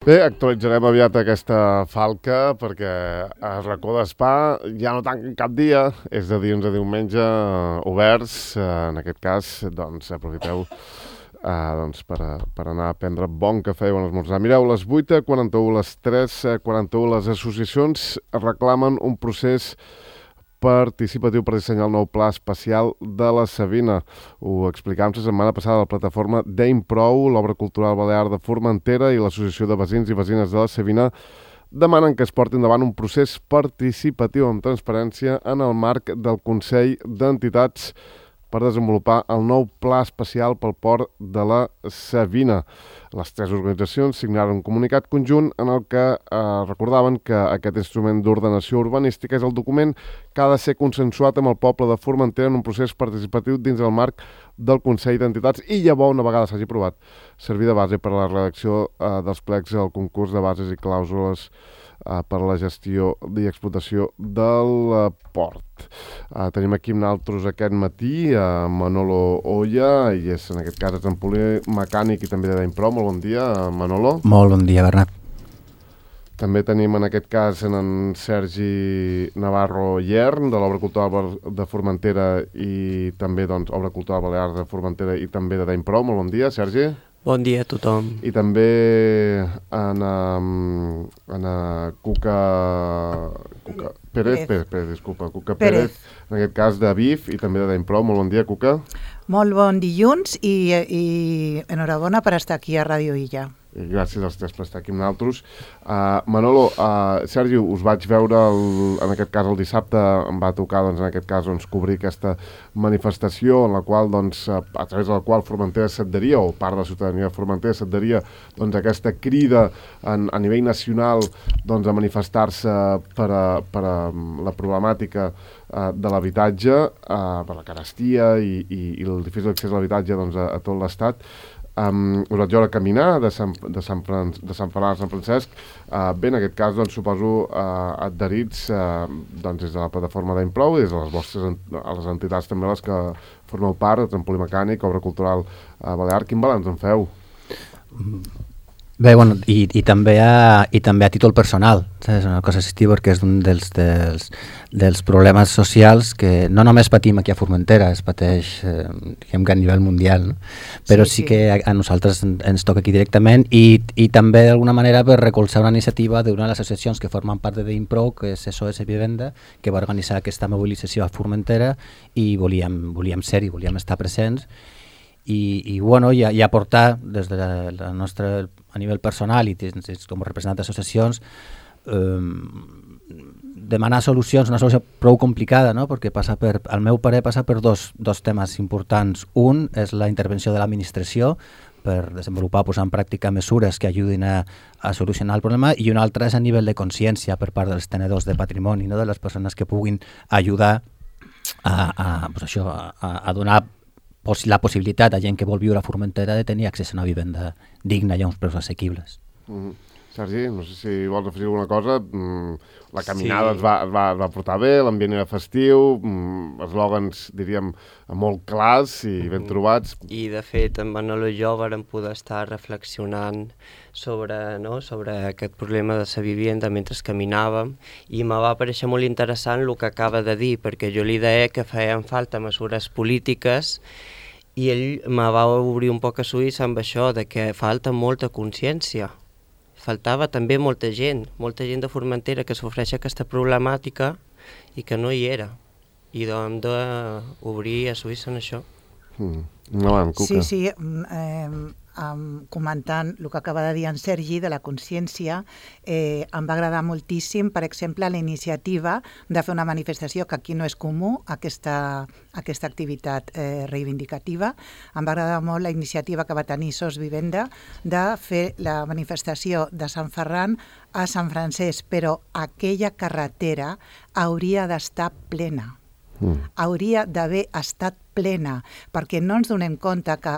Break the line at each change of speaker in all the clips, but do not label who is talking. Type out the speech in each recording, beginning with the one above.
Bé, actualitzarem aviat aquesta falca perquè a Racó d'Espà ja no tanquen cap dia, és de dilluns a diumenge oberts. En aquest cas, doncs, aprofiteu per anar a prendre bon cafè i bon esmorzar. Mireu, les 8:41, les 3:41, les associacions reclamen un procés participatiu per dissenyar el nou pla especial de la Savina. Ho explicàvem la setmana passada a la plataforma d'Improu, l'obra cultural balear de Formentera i l'Associació de Veïns i Veïnes de la Savina demanen que es porti endavant un procés participatiu amb transparència en el marc del Consell d'Entitats per desenvolupar el nou pla especial pel port de la Savina. Les tres organitzacions signaren un comunicat conjunt en el que recordaven que aquest instrument d'ordenació urbanística és el document que ha de ser consensuat amb el poble de Formentera en un procés participatiu dins el marc del Consell d'Entitats i llavors, una vegada s'hagi aprovat, servir de base per a la redacció dels plecs al concurs de bases i clàusules per a la gestió i explotació del port. Tenim aquí amb nosaltres aquest matí Manolo Oya, i és en aquest cas és empolier mecànic i també d'Impro. Molt bon dia, Manolo.
Molt bon dia, Bernat.
També tenim en aquest cas en Sergi Navarro Yern, de l'Obra Cultural de Formentera i també Obra Cultural Balear de Formentera i també de d'Impro. Molt bon dia, Sergi.
Bon dia a tothom.
I també Cuca Pérez, en aquest cas de BIF i també de d'Impro. Molt bon dia, Cuca.
Molt bon dilluns i enhorabona per estar aquí a Ràdio Illa.
Gràcies als tres per estar aquí amb nosaltres. Manolo, Sergi, us vaig veure en aquest cas el dissabte, em va tocar en aquest cas cobrir aquesta manifestació en la qual, a través de la qual Formentera s'adheria, o part de la ciutadania de Formentera s'adheria aquesta crida a nivell nacional a manifestar-se per a la problemàtica de l'habitatge, per la carestia i el difícil accés a l'habitatge a tot l'Estat. Us vaig veure caminar de Sant Ferran a Sant Francesc. Bé, en aquest cas, suposo, adherits des de la plataforma d'Improu i des de les entitats també les que formeu part, Empoli Mecànic, Obra Cultural Balear. Quin balanç en feu?
Bé, bueno, i també a títol personal, és una cosa assistiva perquè és un dels problemes socials que no només patim aquí a Formentera, es pateix diguem que a nivell mundial, no? Però sí que a nosaltres ens toca aquí directament i també d'alguna manera per recolzar una iniciativa d'una de les associacions que formen part de Impro, que és SOS Vivenda, que va organitzar aquesta mobilització a Formentera i volíem ser-hi, volíem estar presents i aportar des de la nostra a nivell personal i com a representant d'associacions demanar solucions, una solució prou complicada, no? Perquè al meu parer passa per dos temes importants. Un és la intervenció de l'administració per desenvolupar, posar en pràctica mesures que ajudin a solucionar el problema, i un altre és a nivell de consciència per part dels tenedors de patrimoni, no? De les persones que puguin ajudar a donar la possibilitat a gent que vol viure a Formentera de tenir accés a una vivenda digna i a uns preus assequibles.
Sergi, no sé si vols afegir alguna cosa. La caminada es va portar bé, l'ambient era festiu, eslògans, diríem, molt clars i ben trobats.
I, de fet, en Manolo i jo vam poder estar reflexionant sobre aquest problema de la vivenda mentre caminàvem, i me va parèixer molt interessant el que acaba de dir, perquè jo li deia que feien falta mesures polítiques i ell me va obrir un poc a ulls amb això, de que falta molta consciència. Faltava també molta gent de Formentera que sofreix aquesta problemàtica i que no hi era. I hem d'obrir a ulls en això.
Sí, comentant el que acaba de dir en Sergi de la consciència, em va agradar moltíssim, per exemple, la iniciativa de fer una manifestació, que aquí no és comú, aquesta activitat reivindicativa. Em va agradar molt la iniciativa que va tenir SOS Vivenda de fer la manifestació de Sant Ferran a Sant Francesc, però aquella carretera hauria d'estar plena. Hauria d'haver estat plena, perquè no ens donem compte que,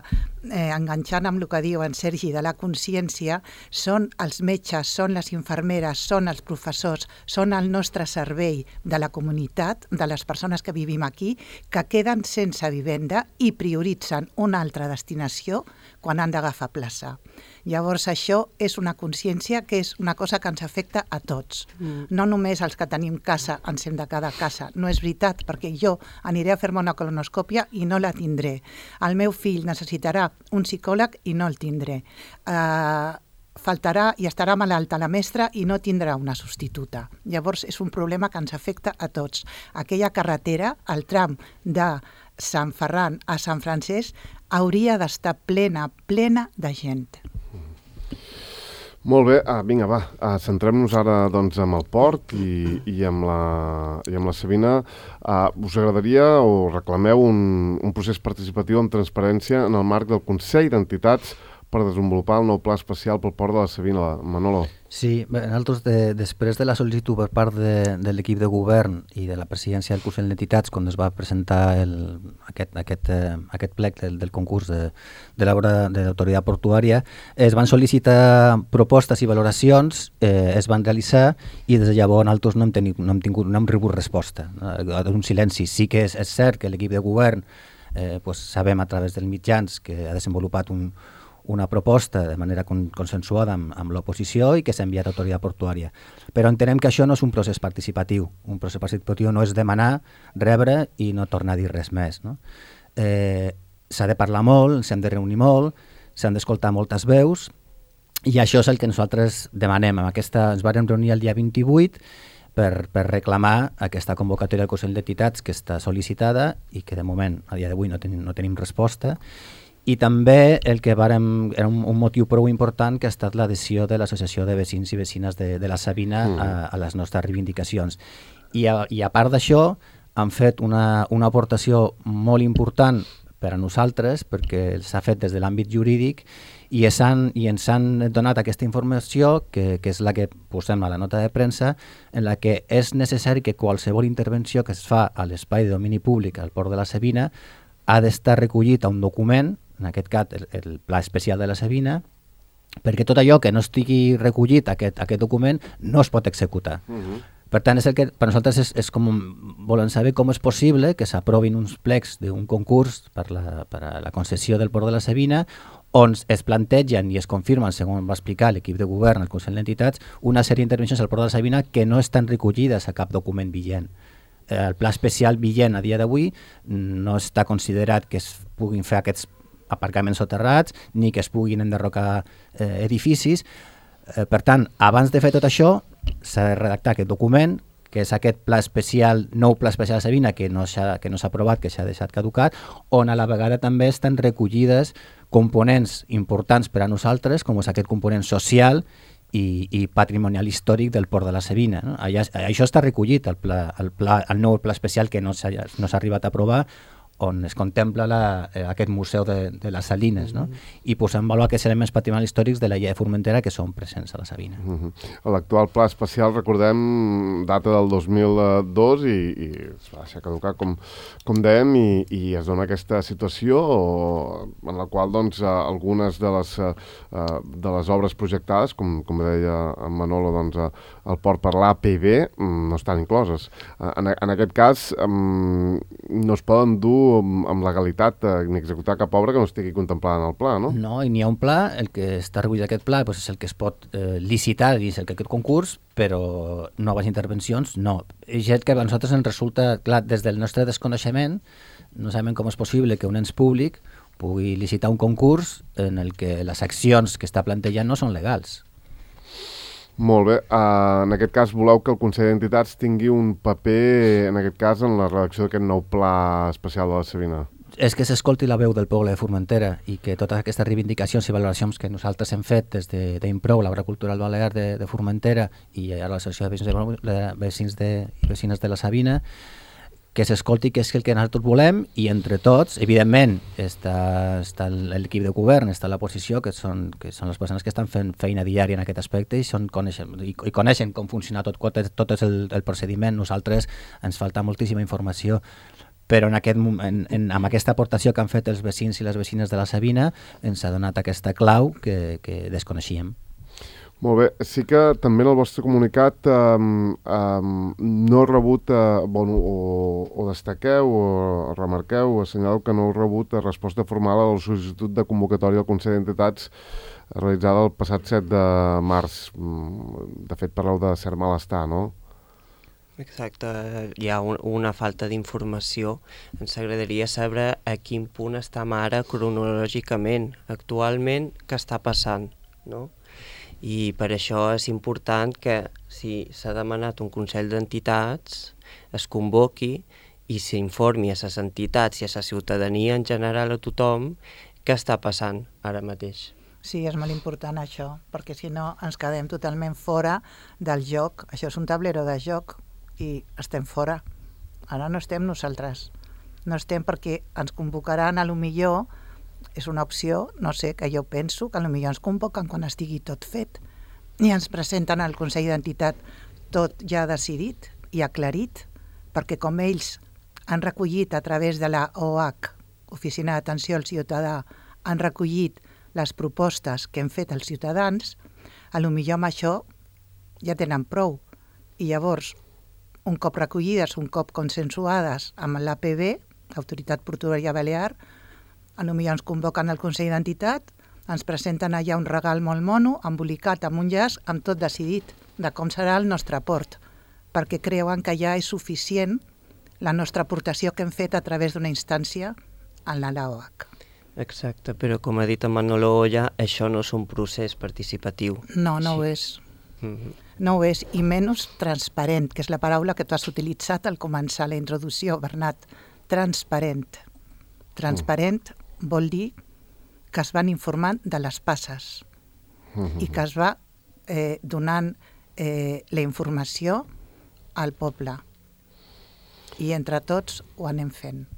enganxant amb el que diu en Sergi de la consciència, són els metges, són les infermeres, són els professors, són el nostre servei de la comunitat, de les persones que vivim aquí, que queden sense vivenda i prioritzen una altra destinació quan han d'agafar plaça. Llavors això és una consciència que és una cosa que ens afecta a tots. No només els que tenim casa ens hem de quedar a casa. No és veritat, perquè jo aniré a fer-me una colonoscòpia i no la tindré. El meu fill necessitarà un psicòleg i no el tindré. Faltarà i estarà malalta la mestra i no tindrà una substituta. Llavors és un problema que ens afecta a tots. Aquella carretera, el tram de Sant Ferran a Sant Francesc, hauria d'estar plena de gent.
Molt bé, vinga, va, centrem-nos ara doncs, amb el port i amb la Sabina. Us agradaria o reclameu un procés participatiu amb transparència en el marc del Consell d'Entitats per desenvolupar el nou pla especial pel port de la Sabina. Manolo.
Sí, nosaltres després de la sol·licitud per part de l'equip de govern i de la presidència del Consell d'Entitats, quan es va presentar aquest plec del concurs de l'obra de l'autoritat portuària, es van sol·licitar propostes i valoracions, es van realitzar i des de llavors nosaltres no hem rebut resposta. Un silenci. Sí que és cert que l'equip de govern sabem a través dels mitjans que ha desenvolupat una proposta de manera consensuada amb l'oposició i que s'ha enviat a l'autoritat portuària. Però entenem que això no és un procés participatiu. Un procés participatiu no és demanar, rebre i no tornar a dir res més. No? S'ha de parlar molt, s'han de reunir molt, s'han d'escoltar moltes veus i això és el que nosaltres demanem. Ens vam reunir el dia 28 per reclamar aquesta convocatòria del Consell d'Entitats que està sol·licitada i que de moment, a dia d'avui, no tenim resposta. I també el que era un motiu prou important que ha estat l'adhesió de l'Associació de Veïns i Veïnes de la Sabina a les nostres reivindicacions. I a part d'això han fet una aportació molt important per a nosaltres perquè s'ha fet des de l'àmbit jurídic i ens han donat aquesta informació que és la que posem a la nota de premsa en la que és necessari que qualsevol intervenció que es fa a l'espai de domini públic al port de la Sabina ha d'estar recollit a un document, en aquest cas el Pla Especial de la Sabina, perquè tot allò que no estigui recollit a aquest document no es pot executar. Per tant, és el que per nosaltres és com volen saber com és possible que s'aprovin uns plecs d'un concurs per a la concessió del port de la Sabina on es plantegen i es confirmen, segons va explicar l'equip de govern, el Consell d'Entitats, una sèrie d'intervencions al port de la Sabina que no estan recollides a cap document vigent. El pla especial vigent a dia d'avui no està considerat que es puguin fer aquests aparcaments soterrats ni que es puguin enderrocar edificis. Per tant, abans de fer tot això, s'ha de redactar aquest document, que és aquest pla especial, nou pla especial de Sabina, que no s'ha aprovat, que s'ha deixat caducat, on a la vegada també estan recollides components importants per a nosaltres, com és aquest component social i patrimonial històric del port de la Sabina. No? Això està recollit, el nou pla especial que no s'ha arribat a aprovar, on es contempla aquest museu de les Salines, no? I posar en valor aquests elements patrimonials històrics de la Llei de Formentera que són presents a la Sabina.
L'actual pla especial, recordem, data del 2002 i es va deixar caducar, com dèiem, i es dona aquesta situació en la qual doncs, algunes de les obres projectades, com deia en Manolo, doncs, el port per l'APB no estan incloses. En aquest cas, no es poden dur amb legalitat ni executar cap obra que no estigui contemplada en el pla, no?
No, i n'hi ha un pla, el que està recollit aquest pla és el que es pot licitar dins aquest concurs, però noves intervencions no. És que a nosaltres ens resulta, clar, des del nostre desconeixement, no sabem com és possible que un ens públic pugui licitar un concurs en el que les accions que està plantejant no són legals.
Molt bé. En aquest cas, voleu que el Consell d'Entitats tingui un paper, en aquest cas, en la redacció d'aquest nou pla especial de la Sabina?
És que s'escolti la veu del poble de Formentera i que totes aquestes reivindicacions i valoracions que nosaltres hem fet des d'Improu, l'Obra Cultural Balear de Formentera i ara l'Associació de Veïns i Veïnes de la Sabina, que s'escolti què és el que nosaltres volem i entre tots, evidentment, està l'equip de govern, està l'oposició, que són les persones que estan fent feina diària en aquest aspecte i coneixen com funciona tot és el procediment. Nosaltres ens falta moltíssima informació, però amb aquesta aportació que han fet els veïns i les veïnes de la Sabina ens ha donat aquesta clau que desconeixíem.
Molt bé, sí que també en el vostre comunicat no heu rebut, o destaqueu o remarqueu o assenyaleu que no heu rebut resposta formal a la sol·licitud de convocatòria del Consell d'Entitats realitzada el passat 7 de març. De fet, parleu de cert malestar, no?
Exacte, hi ha una falta d'informació. Ens agradaria saber a quin punt estem ara cronològicament, actualment, què està passant, no? I per això és important que si s'ha demanat un Consell d'Entitats es convoqui i s'informi a les entitats i a la ciutadania en general, a tothom, què està passant ara mateix.
Sí, és molt important això, perquè si no ens quedem totalment fora del joc. Això és un tablero de joc i estem fora. Ara no estem nosaltres. No estem perquè ens convocaran, a lo millor, és una opció, no sé, que jo penso que potser ens convoquen quan estigui tot fet i ens presenten al Consell d'Entitat tot ja decidit i aclarit, perquè com ells han recollit a través de la OH, Oficina d'Atenció al Ciutadà, han recollit les propostes que hem fet els ciutadans, a lo millor amb això ja tenen prou. I llavors, un cop recollides, un cop consensuades amb l'APB, Autoritat Portuària Balear, a lo millor ens convoquen al Consell d'Entitat, ens presenten allà un regal molt mono, embolicat amb un llaç, amb tot decidit, de com serà el nostre aport, perquè creuen que ja és suficient la nostra aportació que hem fet a través d'una instància en la OH.
Exacte, però com ha dit en Manolo Olla, això no és un procés participatiu.
No, no ho és. No ho és, i menys transparent, que és la paraula que tu has utilitzat al començar la introducció, Bernat. Transparent. Transparent vol dir que es van informant de les passes i que es va donant la informació al poble. I entre tots ho anem fent.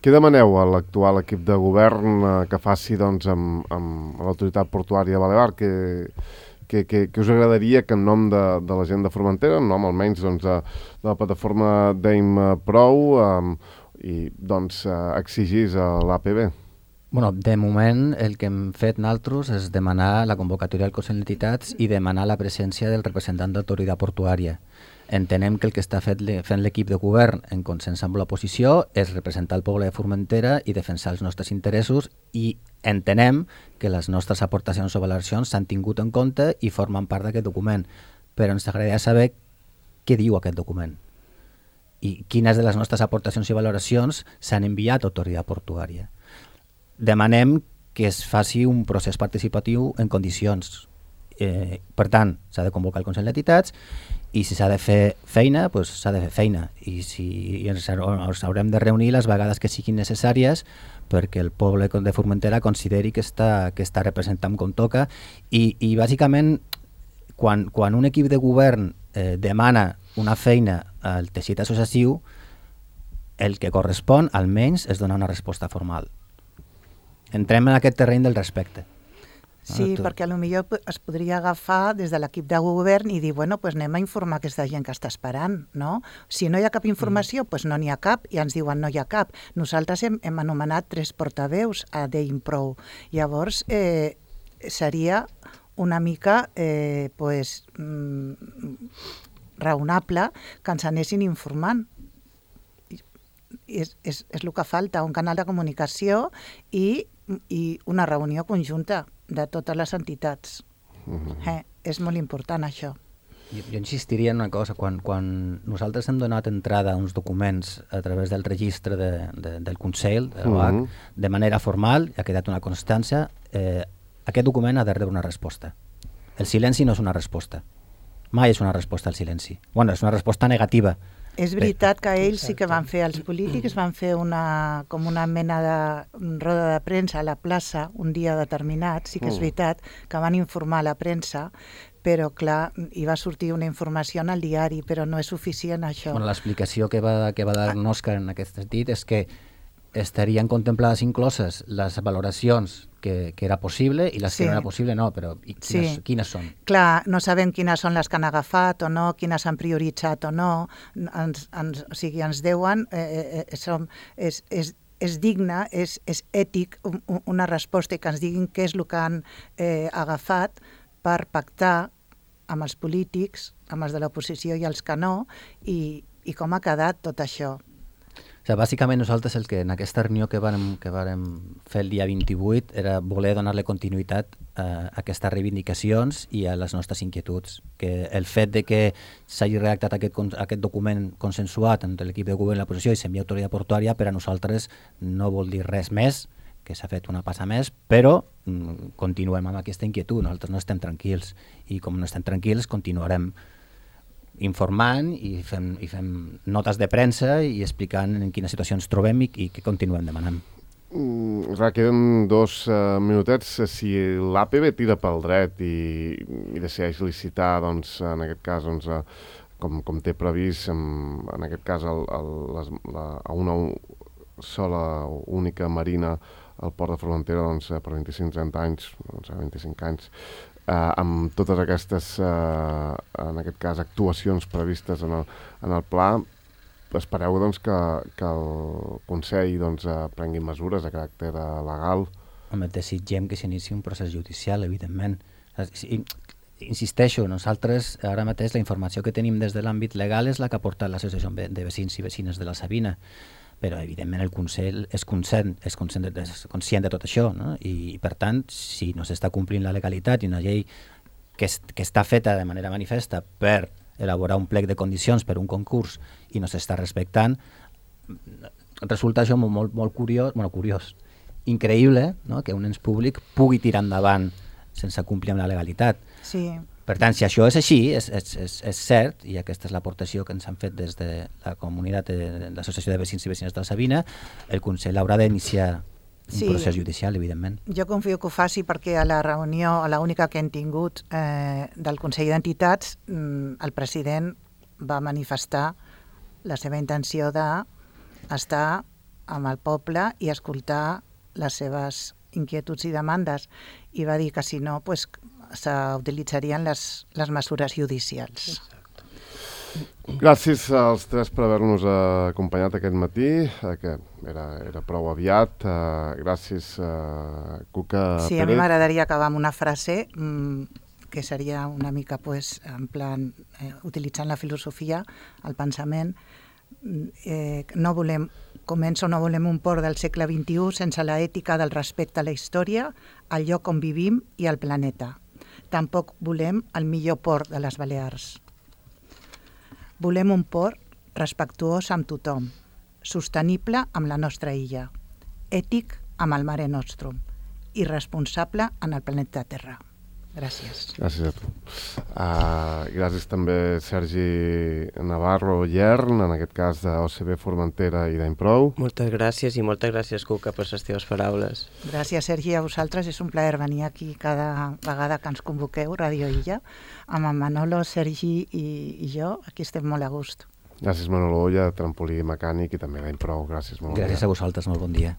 Què demaneu a l'actual equip de govern que faci doncs, amb l'autoritat portuària balear? Que us agradaria que en nom de la gent de Formentera, en nom almenys doncs, de la plataforma d'AIM Prou, i doncs exigís a l'APB?
Bueno, de moment el que hem fet nosaltres és demanar la convocatòria del Consell d'Entitats i demanar la presència del representant d'autoritat portuària. Entenem que el que està fent l'equip de govern en consens amb l'oposició és representar el poble de Formentera i defensar els nostres interessos, i entenem que les nostres aportacions o valoracions s'han tingut en compte i formen part d'aquest document, però ens agradaria saber què diu aquest document i quines de les nostres aportacions i valoracions s'han enviat a autoritat portuària. Demanem que es faci un procés participatiu en condicions. Per tant, s'ha de convocar el Consell d'Entitats i si s'ha de fer feina, doncs s'ha de fer feina, i ens haurem de reunir les vegades que siguin necessàries perquè el poble de Formentera consideri que està representant com toca, i bàsicament quan un equip de govern demana una feina al teixit associatiu, el que correspon almenys és donar una resposta formal. Entrem en aquest terreny del respecte.
Sí, perquè potser es podria agafar des de l'equip de govern i dir, bueno, doncs anem a informar aquesta gent que està esperant, no? Si no hi ha cap informació, doncs no n'hi ha cap, i ens diuen no hi ha cap. Nosaltres hem anomenat 3 portaveus a d'AIM Prou. Llavors, seria una mica raonable que ens anessin informant. És el que falta, un canal de comunicació i una reunió conjunta de totes les entitats. És molt important això.
Jo insistiria en una cosa, quan nosaltres hem donat entrada a uns documents a través del registre del Consell, de l'OH, de manera formal, ha quedat una constància, aquest document ha de rebre una resposta. El silenci no és una resposta. Mai és una resposta al silenci. Bueno, és una resposta negativa.
És veritat que ells sí que van fer, els polítics van fer com una mena de roda de premsa a la plaça un dia determinat, sí que és veritat que van informar a la premsa, però clar, hi va sortir una informació en el diari, però no és suficient això.
Bueno, l'explicació que va dar Òscar en aquest sentit és que estarien contemplades incloses les valoracions que era possible i les que no era possible no, però quines són?
Clar, no sabem quines són les que han agafat o no, quines han prioritzat o no, o sigui, ens deuen, és digne, és ètic una resposta i que ens diguin què és el que han agafat per pactar amb els polítics, amb els de l'oposició i els que no, i com ha quedat tot això.
O sigui, bàsicament nosaltres el que en aquesta reunió que vàrem fer el dia 28 era voler donar-li continuïtat a aquestes reivindicacions i a les nostres inquietuds. Que el fet de que s'hagi redactat aquest document consensuat entre l'equip de govern i l'oposició i s'envia a autoritat portuària per a nosaltres no vol dir res més, que s'ha fet una passa més, però continuem amb aquesta inquietud, nosaltres no estem tranquils i com no estem tranquils continuarem informant i fem notes de premsa i explicant en quina situació ens trobem i què continuem demanant.
Queden 2 minutets. Si l'APB tira pel dret i decideix licitar, doncs, en aquest cas, doncs, com té previst, en aquest cas, a una sola única marina al port de Formentera, doncs, per 25-30 anys, doncs, 25 anys, amb totes aquestes, en aquest cas, actuacions previstes en el pla, espereu doncs, que el Consell doncs, prengui mesures de caràcter legal?
Home, desitgem que s'inici un procés judicial, evidentment. Insisteixo, nosaltres ara mateix la informació que tenim des de l'àmbit legal és la que ha portat l'Associació de Veïns i Veïnes de la Sabina, però evidentment el Consell és conscient de tot això, no? I per tant, si no s'està complint la legalitat i una llei que està feta de manera manifesta per elaborar un plec de condicions per un concurs i no s'està respectant, resulta això molt curiós, increïble, no? Que un ens públic pugui tirar endavant sense complir amb la legalitat.
Sí.
Per tant, si això és així, és cert, i aquesta és l'aportació que ens han fet des de la comunitat de l'Associació de Veïns i Veïnes de la Sabina, el Consell haurà d'iniciar un procés judicial, evidentment.
Jo confio que ho faci perquè a la reunió, a l'única que hem tingut del Consell d'Entitats, el president va manifestar la seva intenció d'estar amb el poble i escoltar les seves inquietuds i demandes, i va dir que si no, pues, s'utilitzarien les mesures judicials.
Gràcies als 3 per haver-nos acompanyat aquest matí, que era prou aviat. Gràcies, Cuca Pérez.
Sí, a mi m'agradaria acabar amb una frase que seria una mica, pues, en plan, utilitzant la filosofia, el pensament. No volem un port del segle XXI sense la ètica del respecte a la història, al lloc on vivim i al planeta. Tampoc volem el millor port de les Balears. Volem un port respectuós amb tothom, sostenible amb la nostra illa, ètic amb el Mare Nostrum i responsable en el planeta Terra. Gràcies.
Gràcies a tu. Gràcies també Sergi Navarro Llern, en aquest cas d'OCB Formentera i d'Improu.
Moltes gràcies i moltes gràcies, Cuca, per les teves paraules.
Gràcies, Sergi, a vosaltres. És un plaer venir aquí cada vegada que ens convoqueu, Radio Illa, amb en Manolo, Sergi i jo. Aquí estem molt a gust.
Gràcies, Manolo Olla, trampolí mecànic, i també d'Improu. Gràcies, molt bon dia.
Gràcies a vosaltres, molt bon dia.